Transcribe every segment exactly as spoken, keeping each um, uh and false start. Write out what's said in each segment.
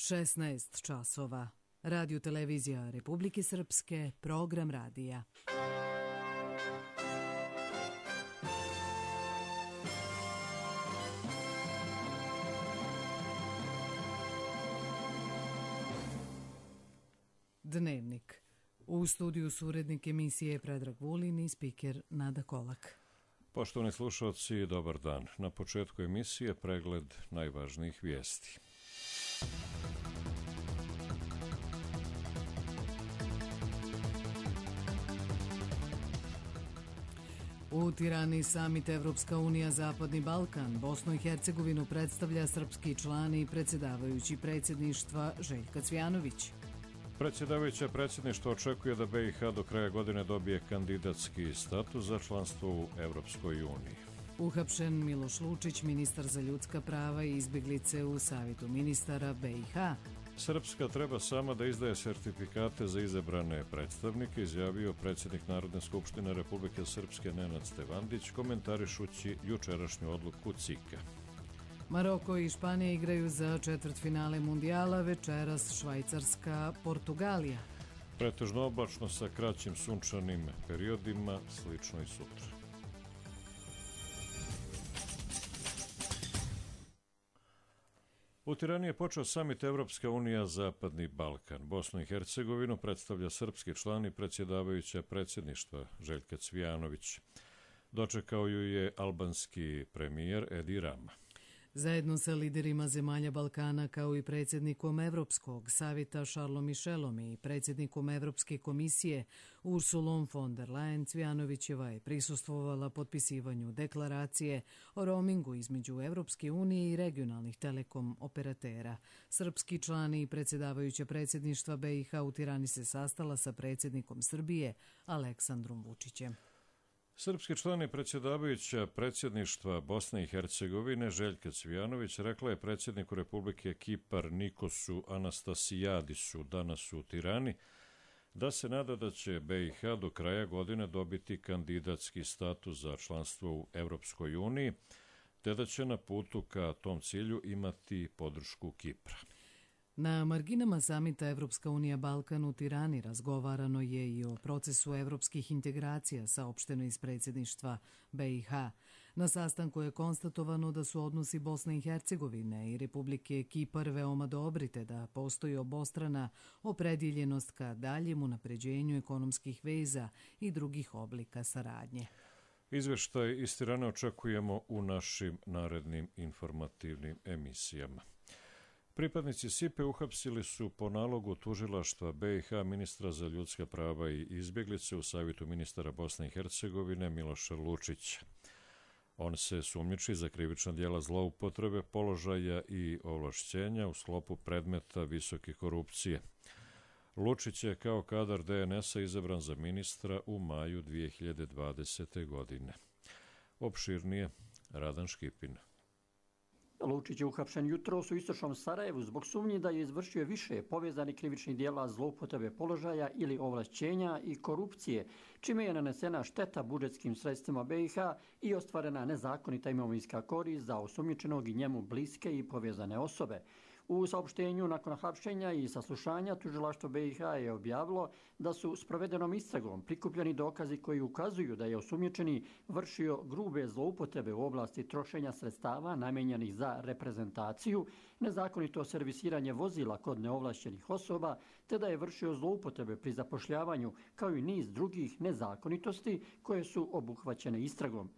šesnaest časova. Radio televizija Republike Srpske, program radija. Dnevnik. U studiju su urednik emisije Predrag Vulin i spiker Nada Kolak. Poštovani slušalci, dobar dan. Na početku emisije pregled najvažnijih vijesti. U Tirani samit Evropska unija Zapadni Balkan. Bosnu i Hercegovinu predstavlja srpski član i predsjedavajući predsjedništva Željka Cvijanović. Predsjedavajuća predsjedništva očekuje da B i H do kraja godine dobije kandidatski status za članstvo u Evropskoj uniji. Uhapšen Miloš Lučić, ministar za ljudska prava i izbjeglice u Savjetu ministara B i H. Srpska treba sama da izdaje sertifikate za izabrane predstavnike, izjavio predsjednik Narodne skupštine Republike Srpske Nenad Stevandić, komentarišući jučerašnju odluku C I K-a. Maroko i Španija igraju za četvrtfinale mundijala, večeras Švajcarska, Portugalija. Pretežno oblačno sa kraćim sunčanim periodima, slično i sutra. U Tirani je počeo samit Evropska unija Zapadni Balkan. Bosnu i Hercegovinu predstavlja srpski član i predsjedavajuća predsjedništva Željka Cvijanović. Dočekao ju je albanski premijer Edi Rama. Zajedno sa liderima zemalja Balkana kao i predsjednikom Evropskog savjeta Charlesom Michelom i predsjednikom Evropske komisije Ursulom von der Leyen, Cvijanovićeva je prisustvovala potpisivanju deklaracije o roamingu između Evropske unije i regionalnih telekom operatera. Srpski član i predsjedavajuća predsjedništva B i H u Tirani se sastala sa predsjednikom Srbije Aleksandrom Vučićem. Srpski član i predsjedavajuća predsjedništva Bosne i Hercegovine Željka Cvijanović rekla je predsjedniku Republike Kipar Nikosu Anastasijadisu danas u Tirani da se nada da će B i H do kraja godine dobiti kandidatski status za članstvo u Evropskoj uniji, te da će na putu ka tom cilju imati podršku Kipra. Na marginama samita Evropska unija Balkan u Tirani razgovarano je i o procesu evropskih integracija, saopšteno iz predsjedništva B i H. Na sastanku je konstatovano da su odnosi Bosne i Hercegovine i Republike Kipar veoma dobri, te da postoji obostrana opredjeljenost ka daljem unapređenju ekonomskih veza i drugih oblika saradnje. Izveštaj iz Tirane očekujemo u našim narednim informativnim emisijama. Pripadnici S I P-a uhapsili su po nalogu tužilaštva B i H ministra za ljudska prava i izbjeglice u Savjetu ministara Bosne i Hercegovine Miloša Lučića. On se sumnjiči za krivična djela zloupotrebe položaja i ovlašćenja u sklopu predmeta visoke korupcije. Lučić je kao kadar D N S-a izabran za ministra u maju dvije hiljade dvadesete. godine. Opširnije Radan Škipin. Lučić je uhapšen jutros u istočnom Sarajevu zbog sumnji da je izvršio više povezanih krivičnih djela zloupotrebe položaja ili ovlašćenja i korupcije, čime je nanesena šteta budžetskim sredstvima B i H i ostvarena nezakonita imovinska korist za osumnjičenog i njemu bliske i povezane osobe. U saopštenju nakon hapšenja i saslušanja tužilaštvo B i H je objavilo da su s provedenom istragom prikupljeni dokazi koji ukazuju da je osumnjičeni vršio grube zloupotrebe u oblasti trošenja sredstava namijenjenih za reprezentaciju, nezakonito servisiranje vozila kod neovlašćenih osoba, te da je vršio zloupotrebe pri zapošljavanju, kao i niz drugih nezakonitosti koje su obuhvaćene istragom.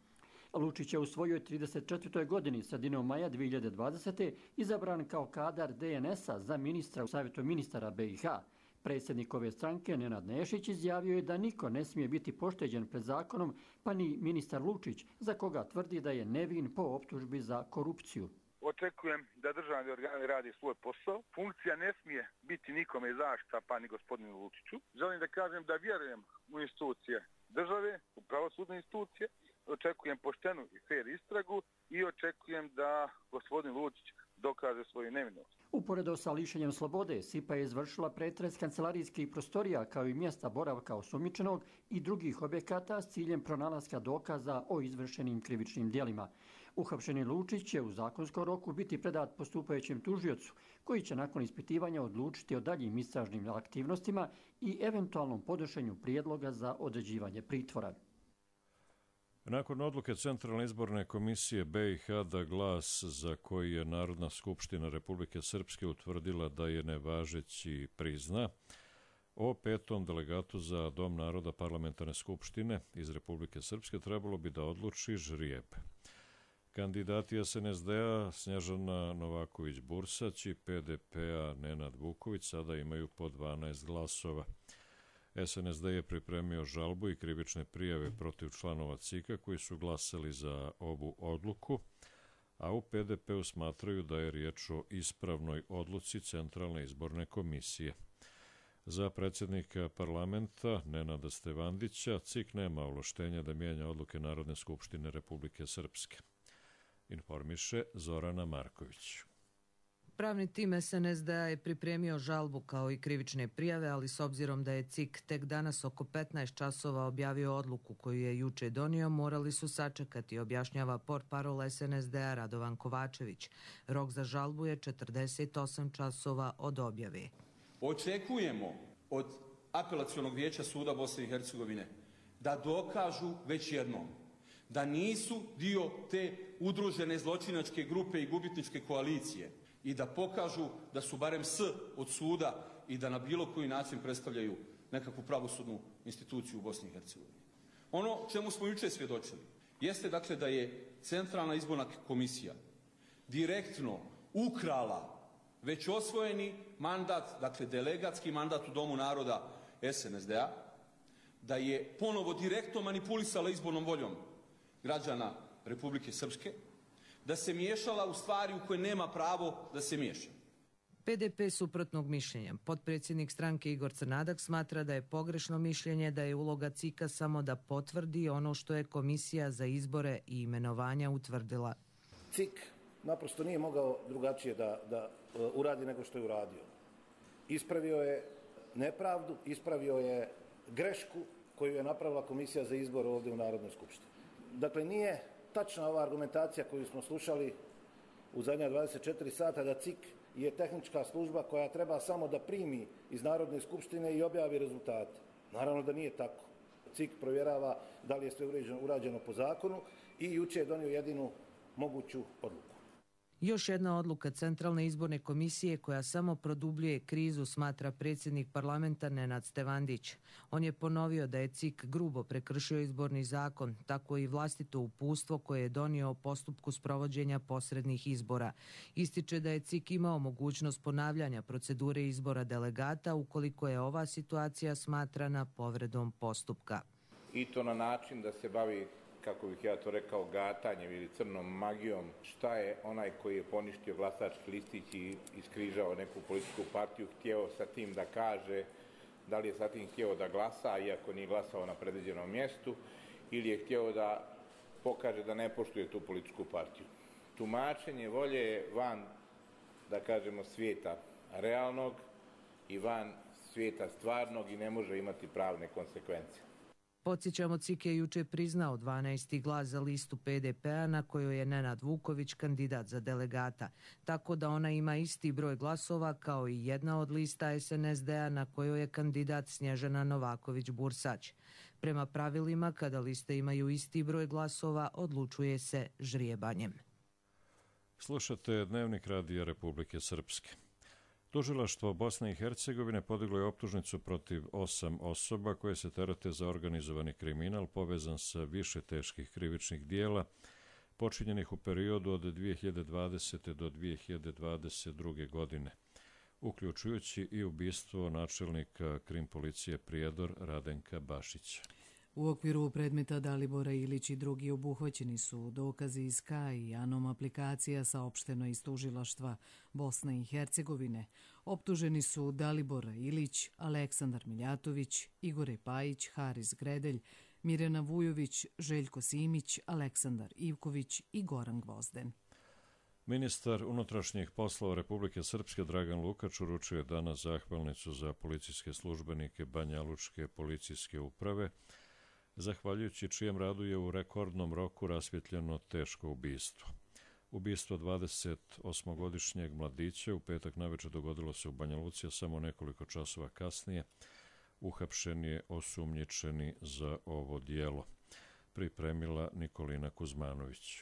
Lučić je u svojoj trideset četvrtoj godini sredinom maja dvije hiljade dvadesete. izabran kao kadar D N S-a za ministra u Savjetu ministara B i H. Predsjednik ove stranke Nenad Nešić izjavio je da niko ne smije biti pošteđen pred zakonom, pa ni ministar Lučić, za koga tvrdi da je nevin po optužbi za korupciju. Očekujem da državni organi radi svoj posao. Funkcija ne smije biti nikome zaštita, pa ni gospodinu Lučiću. Želim da kažem da vjerujem u institucije države, u pravosudne institucije. Očekujem poštenu i fer istragu i očekujem da gospodin Lučić dokaže svoju nevinost. Uporedo sa lišenjem slobode, S I P-a je izvršila pretres kancelarijskih prostorija kao i mjesta boravka osumnjičenog i drugih objekata s ciljem pronalaska dokaza o izvršenim krivičnim djelima. Uhapšeni Lučić će u zakonskom roku biti predat postupajućem tužiocu, koji će nakon ispitivanja odlučiti o daljim istražnim aktivnostima i eventualnom podnošenju prijedloga za određivanje pritvora. Nakon odluke Centralne izborne komisije B i H da glas za koji je Narodna skupština Republike Srpske utvrdila da je nevažeći prizna, o petom delegatu za Dom naroda parlamentarne skupštine iz Republike Srpske trebalo bi da odluči žrijeb. Kandidati S N S D-a Snježana Novaković-Bursać i P D P-a Nenad Vuković sada imaju po dvanaest glasova. S N S D je pripremio žalbu i krivične prijave protiv članova C I K-a koji su glasali za ovu odluku, a u P D P-u smatraju da je riječ o ispravnoj odluci Centralne izborne komisije. Za predsjednika parlamenta Nenada Stevandića C I K nema ovlaštenja da mijenja odluke Narodne skupštine Republike Srpske. Informiše Zorana Marković. Pravni tim S N S D-a je pripremio žalbu kao i krivične prijave, ali s obzirom da je C I K tek danas oko petnaest časova objavio odluku koju je juče donio, morali su sačekati, objašnjava portparol S N S D-a Radovan Kovačević. Rok za žalbu je četrdeset osam časova od objave. Očekujemo od Apelacionog vijeća suda Bosne i Hercegovine da dokažu već jednom da nisu dio te udružene zločinačke grupe i gubitničke koalicije i da pokažu da su barem S od suda i da na bilo koji način predstavljaju nekakvu pravosudnu instituciju u Bosni i Hercegovini. Ono čemu smo juče svjedočili jeste dakle da je Centralna izborna komisija direktno ukrala već osvojeni mandat, dakle delegatski mandat u Domu naroda S N S D-a, da je ponovo direktno manipulisala izbornom voljom građana Republike Srpske, da se miješala u stvari u koje nema pravo da se miješa. P D P suprotnog mišljenja. Potpredsjednik stranke Igor Crnadak smatra da je pogrešno mišljenje da je uloga C I K-a samo da potvrdi ono što je Komisija za izbore i imenovanja utvrdila. C I K naprosto nije mogao drugačije da, da uradi nego što je uradio. Ispravio je nepravdu, ispravio je grešku koju je napravila Komisija za izbor ovdje u Narodnoj skupštini. Dakle, nije tačna ova argumentacija koju smo slušali u zadnja dvadeset četiri sata da C I K je tehnička služba koja treba samo da primi iz Narodne skupštine i objavi rezultate. Naravno da nije tako. C I K provjerava da li je sve urađeno po zakonu i juče je donio jedinu moguću odluku. Još jedna odluka Centralne izborne komisije koja samo produbljuje krizu, smatra predsjednik parlamenta Nenad Stevandić. On je ponovio da je C I K grubo prekršio izborni zakon, tako i vlastito uputstvo koje je donio o postupku sprovođenja posrednih izbora. Ističe da je C I K imao mogućnost ponavljanja procedure izbora delegata ukoliko je ova situacija smatrana povredom postupka. I to na način da se bavi, kako bih ja to rekao, gatanjem ili crnom magijom, šta je onaj koji je poništio glasački listić i iskrižao neku političku partiju htjeo sa tim da kaže, da li je sa tim htjeo da glasa, iako nije glasao na predviđenom mjestu, ili je htjeo da pokaže da ne poštuje tu političku partiju. Tumačenje volje je van, da kažemo, svijeta realnog i van svijeta stvarnog i ne može imati pravne konsekvence. Podsjećamo, C I K je juče priznao dvanaesti glas za listu P D P-a na kojoj je Nenad Vuković kandidat za delegata, tako da ona ima isti broj glasova kao i jedna od lista S N S D-a na kojoj je kandidat Snježana Novaković-Bursać. Prema pravilima, kada liste imaju isti broj glasova, odlučuje se žrijebanjem. Slušate Dnevnik radija Republike Srpske. Tužilaštvo Bosne i Hercegovine podiglo je optužnicu protiv osam osoba koje se terete za organizovani kriminal povezan sa više teških krivičnih dijela počinjenih u periodu od dvije hiljade dvadesete. do dvije hiljade dvadeset druge. godine, uključujući i ubistvo načelnika krim policije Prijedor Radenka Bašića. U okviru predmeta Dalibora Ilić i drugi obuhvaćeni su dokazi iz K A I i Anom aplikacija saopšteno iz tužilaštva Bosne i Hercegovine. Optuženi su Dalibor Ilić, Aleksandar Miljatović, Igore Pajić, Haris Gredelj, Mirjana Vujović, Željko Simić, Aleksandar Ivković i Goran Gvozden. Ministar unutrašnjih poslova Republike Srpske Dragan Lukač uručio je danas zahvalnicu za policijske službenike Banja Lučke policijske uprave zahvaljujući čijem radu je u rekordnom roku rasvjetljeno teško ubistvo. Ubistvo dvadesetosmogodišnjeg mladića u petak navečer dogodilo se u Banja Luci, a samo nekoliko časova kasnije uhapšen je osumnjičeni za ovo djelo. Pripremila Nikolina Kuzmanović.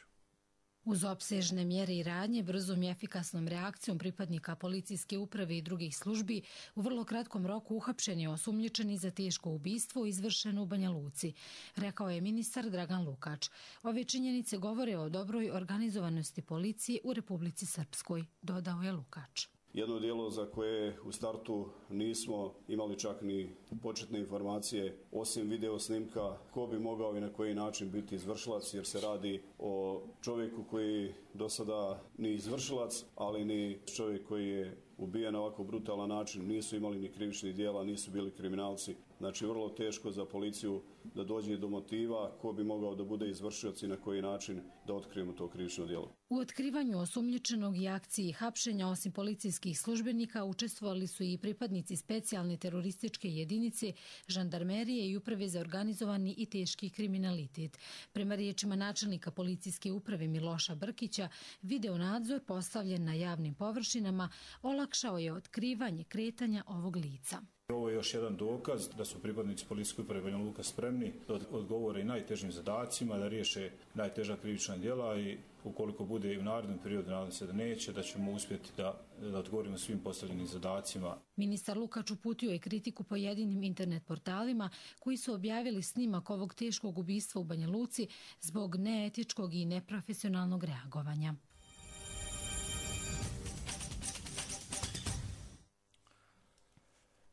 Uz opsežne mjere i radnje, brzom i efikasnom reakcijom pripadnika policijske uprave i drugih službi, u vrlo kratkom roku uhapšen je osumnjičeni za teško ubistvo izvršeno u Banja Luci, rekao je ministar Dragan Lukač. Ove činjenice govore o dobroj organizovanosti policije u Republici Srpskoj, dodao je Lukač. Jedno djelo za koje u startu nismo imali čak ni početne informacije, osim video snimka, ko bi mogao i na koji način biti izvršilac, jer se radi o čovjeku koji do sada ni izvršilac, ali ni čovjek koji je ubijen na ovako brutalan način, nisu imali ni krivičnih djela, nisu bili kriminalci. Znači, vrlo teško za policiju da dođe do motiva ko bi mogao da bude izvršioc i na koji način da otkrijemo to krivično djelo. U otkrivanju osumnjičenog i akciji hapšenja osim policijskih službenika učestvovali su i pripadnici specijalne terorističke jedinice, žandarmerije i uprave za organizovani i teški kriminalitet. Prema riječima načelnika policijske uprave Miloša Brkića, video nadzor postavljen na javnim površinama olakšao je otkrivanje kretanja ovog lica. Ovo je još jedan dokaz da su pripadnici policijske uprave Banja Luka spremni da odgovore i najtežim zadacima, da riješe najteža krivična djela i ukoliko bude i u narednom periodu, nadam se da neće, da ćemo uspjeti da, da odgovorimo svim postavljenim zadacima. Ministar Lukač uputio je kritiku pojedinim internet portalima koji su objavili snimak ovog teškog ubistva u Banja Luci zbog neetičkog i neprofesionalnog reagovanja.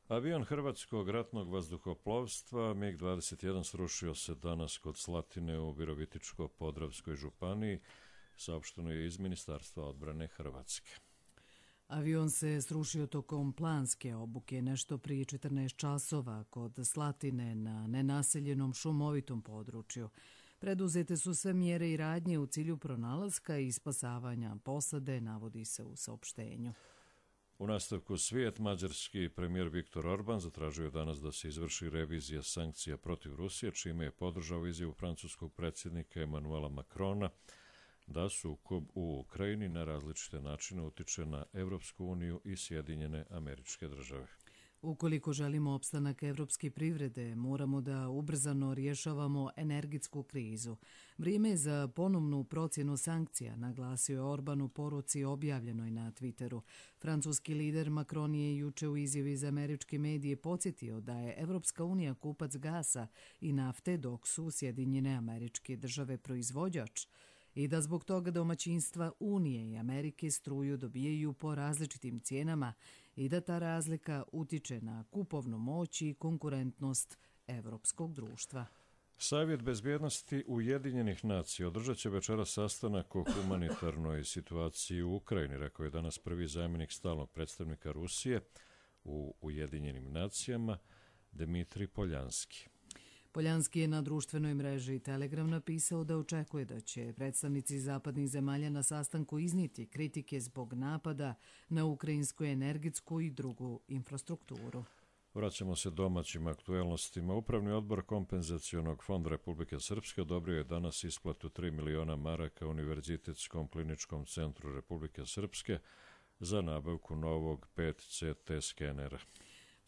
Avion Hrvatskog ratnog vazduhoplovstva MiG dvadeset jedan srušio se danas kod Slatine u Virovitičko-Podravskoj županiji, saopšteno je iz Ministarstva odbrane Hrvatske. Avion se srušio tokom planske obuke nešto prije četrnaest časova kod Slatine na nenaseljenom šumovitom području. Preduzete su sve mjere i radnje u cilju pronalaska i spasavanja posade, navodi se u saopštenju. U nastavku svijet, mađarski premijer Viktor Orban zatražio je danas da se izvrši revizija sankcija protiv Rusije, čime je podržao izjavu francuskog predsjednika Emanuela Macrona da sukob u Ukrajini na različite načine utiče na Evropsku uniju i Sjedinjene Američke Države. Ukoliko želimo opstanak evropske privrede, moramo da ubrzano rješavamo energetsku krizu. Vrijeme je za ponovnu procjenu sankcija, naglasio je Orban u poruci objavljenoj na Twitteru. Francuski lider Macron je juče u izjavi za američke medije podsjetio da je Evropska unija kupac gasa i nafte, dok su Sjedinjene Američke Države proizvođač, i da zbog toga domaćinstva Unije i Amerike struju dobijaju po različitim cijenama i da ta razlika utiče na kupovnu moć i konkurentnost evropskog društva. Savjet bezbjednosti Ujedinjenih nacija održat će večera sastanak o humanitarnoj situaciji u Ukrajini, rekao je danas prvi zamjenik stalnog predstavnika Rusije u Ujedinjenim nacijama Dmitrij Poljanski. Poljanski je na društvenoj mreži Telegram napisao da očekuje da će predstavnici zapadnih zemalja na sastanku iznijeti kritike zbog napada na ukrajinsku energetsku i drugu infrastrukturu. Vraćamo se domaćim aktuelnostima. Upravni odbor Kompenzacionog fonda Republike Srpske odobrio je danas isplatu tri miliona maraka Univerzitetskom kliničkom centru Republike Srpske za nabavku novog pet C T skenera.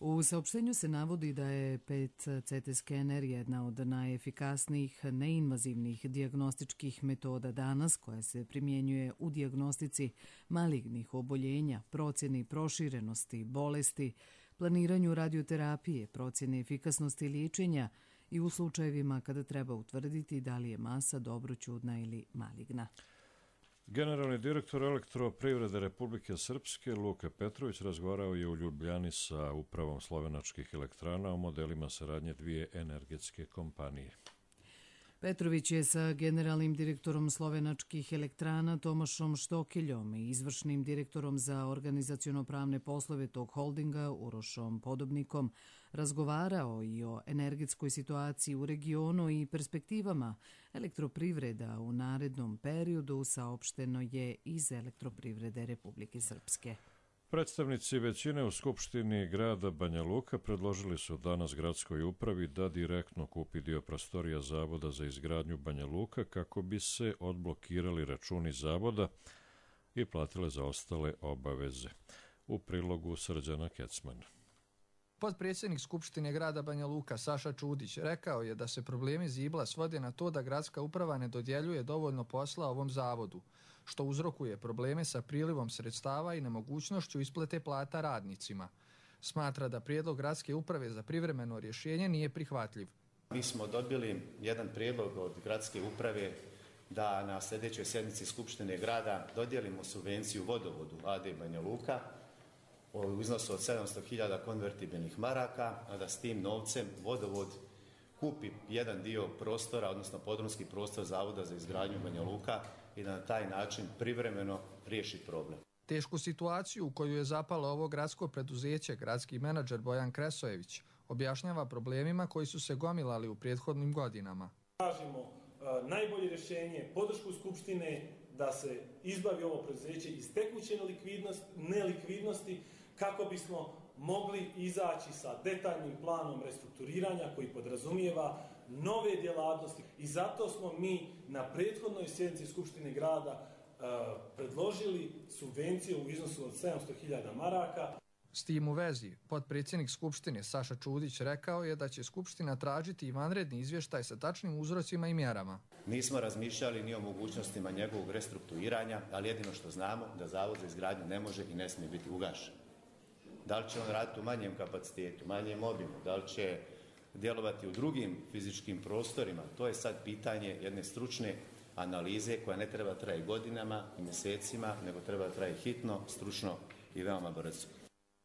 U saopštenju se navodi da je pet C T skener jedna od najefikasnijih neinvazivnih dijagnostičkih metoda danas koja se primjenjuje u dijagnostici malignih oboljenja, procjeni proširenosti bolesti, planiranju radioterapije, procjene efikasnosti liječenja i u slučajevima kada treba utvrditi da li je masa dobroćudna ili maligna. Generalni direktor Elektroprivrede Republike Srpske Luka Petrović razgovarao je u Ljubljani sa upravom slovenačkih elektrana o modelima saradnje dvije energetske kompanije. Petrović je sa generalnim direktorom slovenačkih elektrana Tomašom Štokeljom i izvršnim direktorom za organizaciono-pravne poslove tog holdinga Urošom Podobnikom razgovarao i o energetskoj situaciji u regionu i perspektivama elektroprivreda u narednom periodu, saopšteno je iz Elektroprivrede Republike Srpske. Predstavnici većine u Skupštini grada Banja Luka predložili su danas gradskoj upravi da direktno kupi dio prostorija Zavoda za izgradnju Banja Luka kako bi se odblokirali računi zavoda i platile zaostale obaveze. U prilogu Srđana Kecmana. Potpredsjednik Skupštine grada Banja Luka Saša Čudić rekao je da se problemi Zibla svode na to da gradska uprava ne dodjeljuje dovoljno posla ovom zavodu, što uzrokuje probleme sa prilivom sredstava i nemogućnošću isplate plata radnicima. Smatra da prijedlog gradske uprave za privremeno rješenje nije prihvatljiv. Mi smo dobili jedan prijedlog od gradske uprave da na sljedećoj sjednici Skupštine grada dodijelimo subvenciju vodovodu A D Banja Luka u iznosu od sedamsto hiljada konvertibilnih maraka, a da s tim novcem vodovod kupi jedan dio prostora, odnosno podrumski prostor Zavoda za izgradnju Banja Luka i da na taj način privremeno riješi problem. Tešku situaciju u koju je zapalo ovo gradsko preduzeće, gradski menadžer Bojan Kresojević objašnjava problemima koji su se gomilali u prethodnim godinama. Tražimo uh, najbolje rješenje, podršku Skupštine da se izbavi ovo preduzeće iz tekuće nelikvidnosti, nelikvidnosti kako bismo mogli izaći sa detaljnim planom restrukturiranja koji podrazumijeva nove djelatnosti i zato smo mi na prethodnoj sjednici Skupštine grada uh, predložili subvenciju u iznosu od sedamsto hiljada maraka. S tim u vezi, potpredsjednik Skupštine Saša Čudić rekao je da će Skupština tražiti i vanredni izvještaj sa tačnim uzrocima i mjerama. Nismo razmišljali ni o mogućnostima njegovog restrukturiranja, ali jedino što znamo da Zavod za izgradnju ne može i ne smije biti ugašen. Da li će on raditi u manjem kapacitetu, manjem obimu, da li će djelovati u drugim fizičkim prostorima, to je sad pitanje jedne stručne analize koja ne treba traje godinama i mjesecima, nego treba traje hitno, stručno i veoma brzo.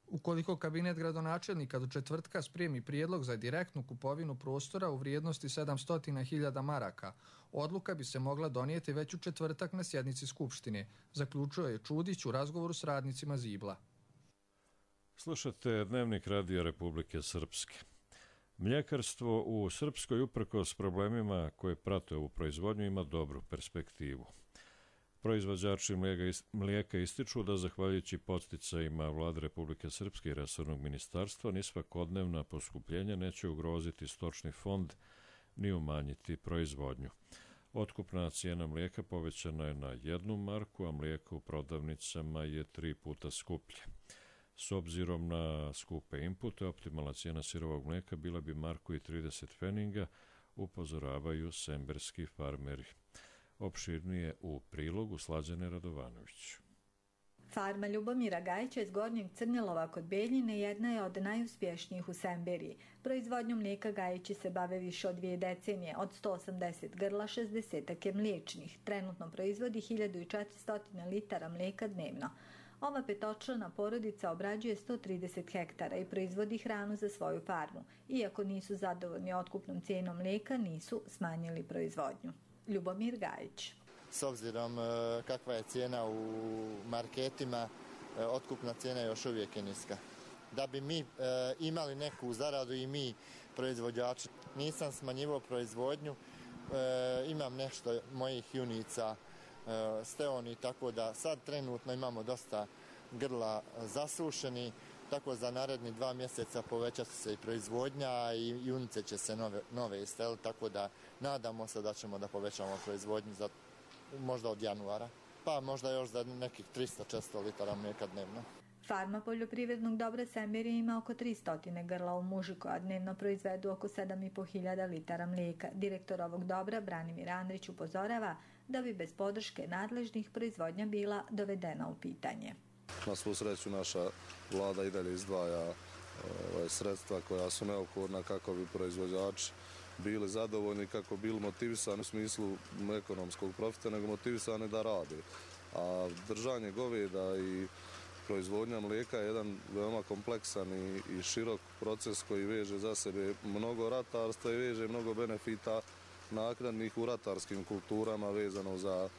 Ukoliko kabinet gradonačelnika do četvrtka spremi prijedlog za direktnu kupovinu prostora u vrijednosti sedamsto hiljada maraka, odluka bi se mogla donijeti već u četvrtak na sjednici Skupštine, zaključio je Čudić u razgovoru s radnicima Zibla. Slušate Dnevnik Radija Republike Srpske. Mljekarstvo u Srpskoj uprkos problemima koje prate ovu proizvodnju ima dobru perspektivu. Proizvođači mlijeka ističu da zahvaljujući podsticajima Vlade Republike Srpske i resornog ministarstva ni svakodnevna poskupljenja neće ugroziti stočni fond ni umanjiti proizvodnju. Otkupna cijena mlijeka povećana je na jednu marku, a mlijeko u prodavnicama je tri puta skuplje. S obzirom na skupe inpute, optimalna cijena sirovog mlijeka bila bi marku i trideset pfeninga, upozoravaju semberski farmeri. Opširnije u prilogu Slađane Radovanović. Farma Ljubomira Gajića iz Gornjeg Crnilova kod Beljine jedna je od najuspješnijih u Semberiji. Proizvodnjom mlijeka Gajići se bave više od dvije decenije, od sto osamdeset grla, šezdeset je mliječnih. Trenutno proizvodi hiljadu četiristo litara mlijeka dnevno. Ova petočlana porodica obrađuje sto trideset hektara i proizvodi hranu za svoju farmu. Iako nisu zadovoljni otkupnom cijenom mlijeka, nisu smanjili proizvodnju. Ljubomir Gajić. S obzirom kakva je cijena u marketima, otkupna cijena još uvijek je niska. Da bi mi imali neku zaradu i mi proizvođači, nisam smanjivao proizvodnju, imam nešto mojih junica steoni, tako da sad trenutno imamo dosta grla zasušeni, tako za naredni dva mjeseca povećati se i proizvodnja i junice će se nove, nove isteliti, tako da nadamo se da ćemo da povećamo proizvodnju za možda od januara, pa možda još za nekih tristo do četiristo litara mlijeka dnevno. Farma poljoprivrednog dobra Semberije ima oko tristo grla u muži koja dnevno proizvedu oko sedam i po hiljada litara mlijeka. Direktor ovog dobra, Branimir Andrić, upozorava da bi bez podrške nadležnih proizvodnja bila dovedena u pitanje. Na svu sreću naša vlada i dalje izdvaja ove, sredstva koja su neophodna kako bi proizvođači bili zadovoljni, kako bi bili motivisani u smislu ekonomskog profita, nego motivisani da rade. A držanje goveda i proizvodnja mlijeka je jedan veoma kompleksan i, i širok proces koji veže za sebe mnogo ratarstva i veže mnogo benefita naknadnih u ratarskim kulturama, vezano za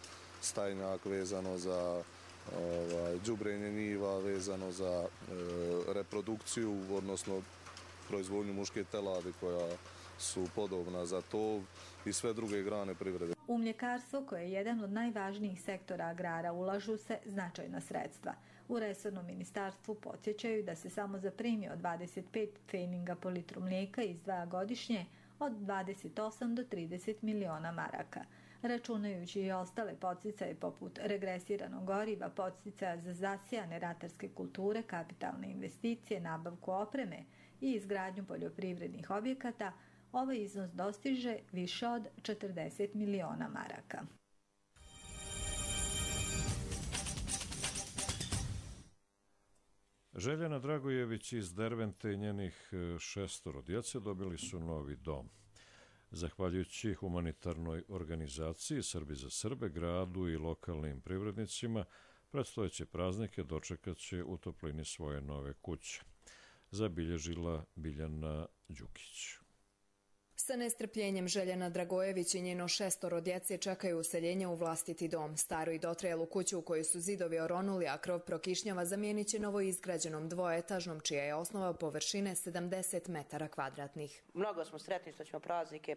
stajnjak, vezano za ovaj, đubrenje njiva, vezano za e, reprodukciju, odnosno proizvodnju muške teladi koja su podobna za to i sve druge grane privrede. U mljekarstvo, koje je jedan od najvažnijih sektora agrara, ulažu se značajna sredstva. U resornom ministarstvu podsjećaju da se samo za premiju od dvadeset pet pfeninga po litru mlijeka izdvaja godišnje od dvadeset osam do trideset miliona maraka. Računajući i ostale podsticaje poput regresiranog goriva, podsticaja za zasijane ratarske kulture, kapitalne investicije, nabavku opreme i izgradnju poljoprivrednih objekata, ovaj iznos dostiže više od četrdeset miliona maraka. Željana Dragojević iz Dervente i njenih šestoro djece dobili su novi dom. Zahvaljujući humanitarnoj organizaciji Srbi za Srbe, gradu i lokalnim privrednicima, predstojeće praznike dočekat će u toplini svoje nove kuće, zabilježila Biljana Đukić. Sa nestrpljenjem Željana Dragojević i njeno šestoro djece čekaju useljenje u vlastiti dom. Staru i dotrajalu kuću u kojoj su zidovi oronuli, a krov prokišnjava, zamijenit će novoizgrađenom dvoetažnom, čija je osnova površine sedamdeset metara kvadratnih. Mnogo smo sretni što ćemo praznike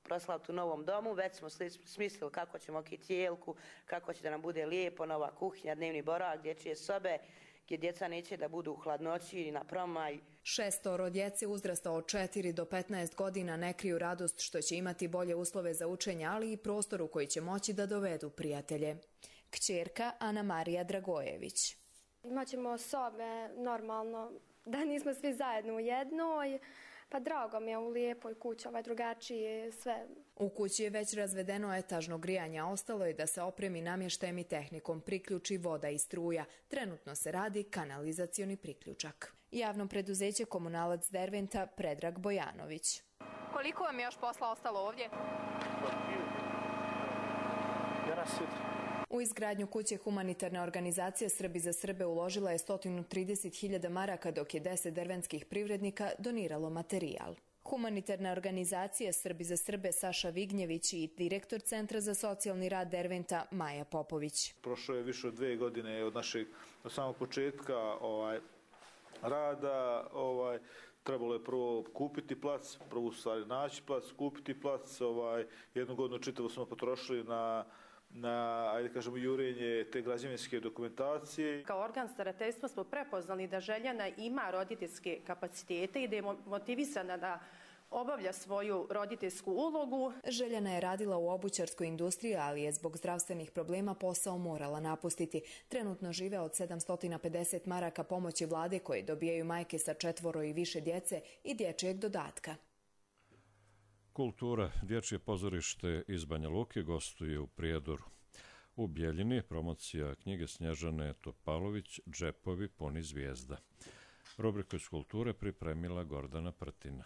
proslaviti u novom domu, već smo smislili kako ćemo kicijelku, kako će da nam bude lijepo, nova kuhinja, dnevni boravak, dječje sobe, gdje djeca neće da budu u hladnoći ili na promaj. Šestoro djece uzrasta od četiri do petnaest godina ne kriju radost što će imati bolje uslove za učenje, ali i prostor u koji će moći da dovedu prijatelje. Kćerka Ana Marija Dragojević. Imaćemo sobe normalno, da nismo svi zajedno u jednoj. Pa drago mi je u lijepoj kući, ovaj drugačiji sve. U kući je već razvedeno etažno grijanje, a ostalo je da se opremi namještajem i tehnikom, priključi voda i struja. Trenutno se radi kanalizacioni priključak. Javno preduzeće Komunalac Derventa Predrag Bojanović. Koliko vam je još posla ostalo ovdje? U izgradnju kuće humanitarna organizacija Srbi za Srbe uložila je sto trideset hiljada maraka, dok je deset dervenskih privrednika doniralo materijal. Humanitarna organizacija Srbi za Srbe Saša Vignjević i direktor Centra za socijalni rad Derventa Maja Popović. Prošlo je više od dvije godine od našeg od samog početka ovaj, rada. Ovaj, trebalo je prvo kupiti plac, prvo u stvari naći plac, kupiti plac. Ovaj, jednu godinu čitavo smo potrošili na na, ajde kažemo, jurenje te građevinske dokumentacije. Kao organ starateljstva smo prepoznali da Željana ima roditeljske kapacitete i da je motivisana da obavlja svoju roditeljsku ulogu. Željana je radila u obućarskoj industriji, ali je zbog zdravstvenih problema posao morala napustiti. Trenutno žive od sedamsto pedeset maraka pomoći vlade koje dobijaju majke sa četvoro i više djece i dječjeg dodatka. Kultura, dječje pozorište iz Banja Luke gostuje u Prijedoru. U Bjeljini promocija knjige Snježane Topalović Džepovi puni zvijezda. Rubriku iz kulture pripremila Gordana Prtina.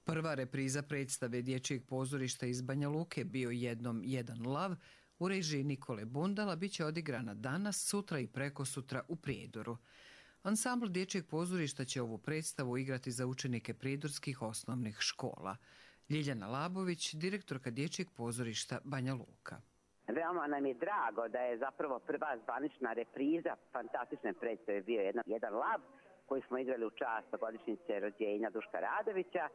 Prva repriza predstave dječjeg pozorišta iz Banja Luke Bio jednom jedan lav u režiji Nikole Bundala bit će odigrana danas, sutra i prekosutra u Prijedoru. Ansambl dječjeg pozorišta će ovu predstavu igrati za učenike prijedorskih osnovnih škola. Ljiljana Labović, direktorka dječjeg pozorišta Banja Luka. Veoma nam je drago da je zapravo prva zvanična repriza fantastične predstave Bio jedan, jedan lav, koji smo igrali u čast godišnjice rođenja Duška Radovića,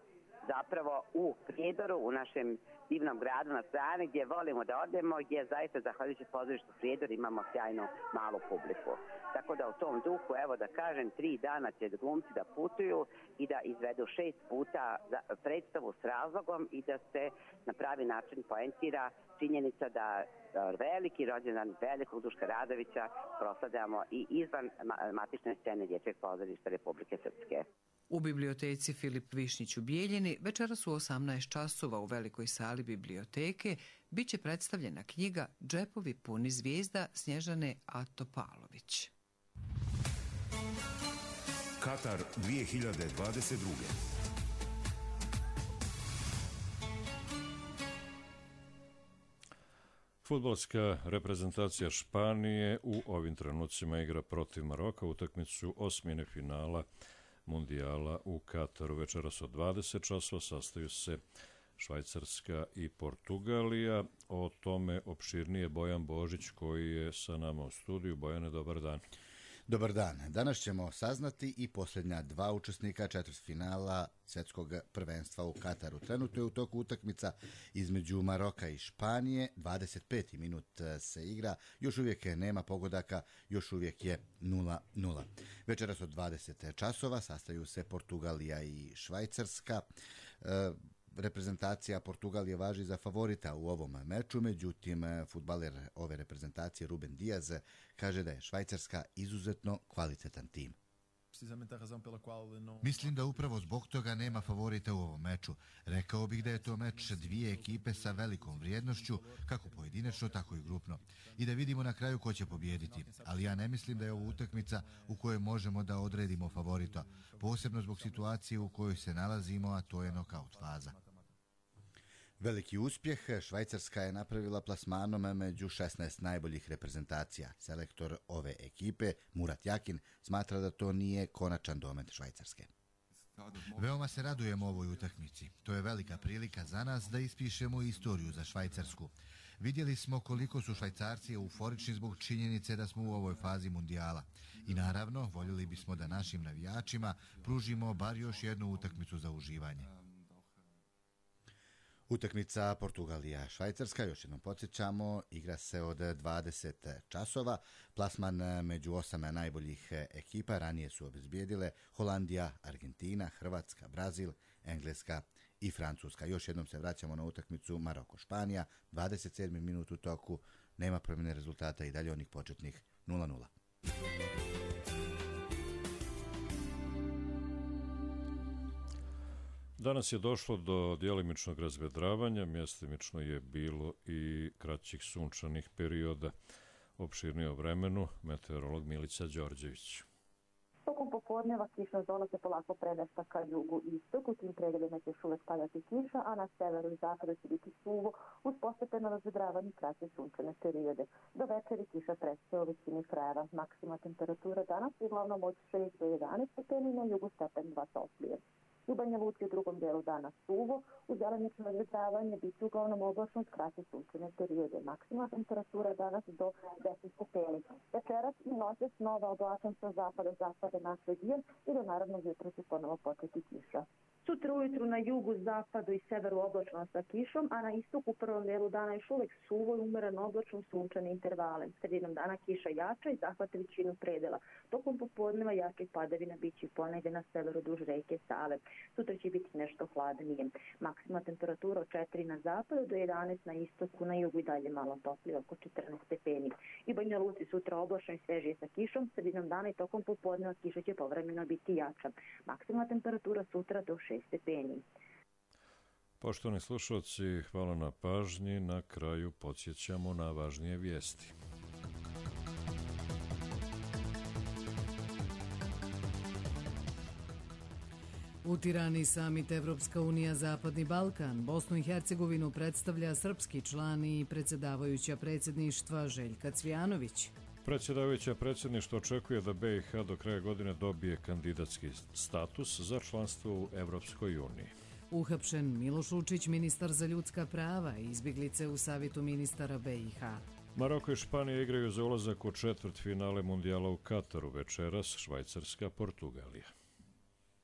zapravo u Prijedoru, u našem divnom gradu na strane gdje volimo da odemo, gdje zaista zahvaljujući pozorištu Prijedor imamo sjajnu malu publiku. Tako da u tom duhu, evo da kažem, tri dana će glumci da putuju i da izvedu šest puta predstavu s razlogom i da se na pravi način poentira činjenica da veliki rođendan velikog Duška Radovića proslavljamo i izvan matične scene dječjeg pozorišta Republike Srpske. U biblioteci Filip Višnjić u Bijeljini večeras u osamnaest časova u velikoj sali biblioteke bit će predstavljena knjiga Džepovi puni zvijezda Snježane Topalović. Katar dvije hiljade dvadeset druge. Fudbalska reprezentacija Španije u ovim trenucima igra protiv Maroka utakmicu osmine finala Mundijala u Kataru. Večeras od dvadeset časova sastaju se Švajcarska i Portugalija. O tome opširnije Bojan Božić koji je sa nama u studiju. Bojane, dobar dan. Dobar dan. Danas ćemo saznati i posljednja dva učesnika četvrtfinala svjetskog prvenstva u Kataru. Trenutno je u toku utakmica između Maroka i Španije. dvadeset peti minut se igra. Još uvijek nema pogodaka, još uvijek je nula nula. Večeras od dvadeset časova sastaju se Portugalija i Švajcarska. E, Reprezentacija Portugalije važi za favorita u ovom meču, međutim, fudbaler ove reprezentacije Ruben Diaz kaže da je Švajcarska izuzetno kvalitetan tim. Mislim da upravo zbog toga nema favorita u ovom meču. Rekao bih da je to meč dvije ekipe sa velikom vrijednošću, kako pojedinačno, tako i grupno. I da vidimo na kraju ko će pobijediti. Ali ja ne mislim da je ovo utakmica u kojoj možemo da odredimo favorita, posebno zbog situacije u kojoj se nalazimo, a to je nokaut faza. Veliki uspjeh Švajcarska je napravila plasmanom među šesnaest najboljih reprezentacija. Selektor ove ekipe, Murat Yakin, smatra da to nije konačan domet Švajcarske. Veoma se radujemo ovoj utakmici. To je velika prilika za nas da ispišemo istoriju za Švajcarsku. Vidjeli smo koliko su Švajcarci euforični zbog činjenice da smo u ovoj fazi mundijala. I naravno, voljeli bismo da našim navijačima pružimo bar još jednu utakmicu za uživanje. Utakmica Portugalija-Švajcarska, još jednom podsjećamo, igra se od dvadeset časova. Plasman među osam najboljih ekipa ranije su obezbijedile Holandija, Argentina, Hrvatska, Brazil, Engleska i Francuska. Još jednom se vraćamo na utakmicu Maroko-Španija, dvadeset sedmi minut u toku, nema promjene rezultata i dalje onih početnih nula nula. Danas je došlo do djelimičnog razvedravanja, mjestimično je bilo i kraćih sunčanih perioda. Opširnije o vremenu, meteorolog Milica Đorđević. Tokom popodneva kišna zona se polako premješta ka jugu i istoku, tim pregledima će još uvek padati kiša, a na severu i zapadu će biti suvo uz postepeno razvedravanje kraće sunčane periode. Do večeri kiša prestaje u većini krajeva. Maksima temperatura danas uglavnom od šest do jedanaest stepeni, na jugu stepen dva toplije. U Banja Luci u drugom dijelu dana suvo, uz delimično razvedravanje biti uglavnom oblačno s kraće sunčane periode. Maksima temperatura danas do deset stepeni. Večeras i noćas nova oblačan sa zapada zapada naš region i do naravno jutro će ponovo početi kiša. Sutra ujutru na jugu, zapadu i severu oblačno sa kišom, a na istoku u prvom dijelu dana još uvek suvo i umereno oblačno sunčane intervale. Sredinom dana kiša jača i zahvata većinu predela. Tokom popodneva jačih padavina biće ponegdje na severu duž reke Save. Sutra će biti nešto hladnije. Maksima temperatura od četiri na zapadu do jedanaest na istoku, na jugu i dalje malo toplije, oko četrnaest stepeni. I Banja Luci sutra oblačno i svežije sa kišom, sredinom dana i tokom popodneva kiša će povremeno biti jača. Maksima temperatura sutra do šest stepeni. Poštovani slušalci, hvala na pažnji. Na kraju podsjećamo na važnije vijesti. U Tirani samit Evropska unija Zapadni Balkan. Bosnu i Hercegovinu predstavlja srpski član i predsjedavajuća predsjedništva Željka Cvijanović. Predsjedavajuća predsjedništva očekuje da B i H do kraja godine dobije kandidatski status za članstvo u Evropskoj uniji. Uhapšen Miloš Lučić, ministar za ljudska prava i izbjeglice u Savetu ministara B i H. Maroko i Španija igraju za ulazak u četvrtfinale mundijala u Kataru, večeras Švajcarska, Portugalija.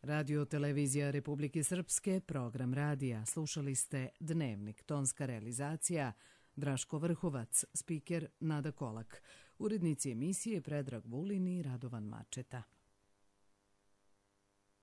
Radio Televizija Republike Srpske, program radija. Slušali ste Dnevnik, tonska realizacija Draško Vrhovac, spiker Nada Kolak. Urednici emisije Predrag Vulin i Radovan Mačeta.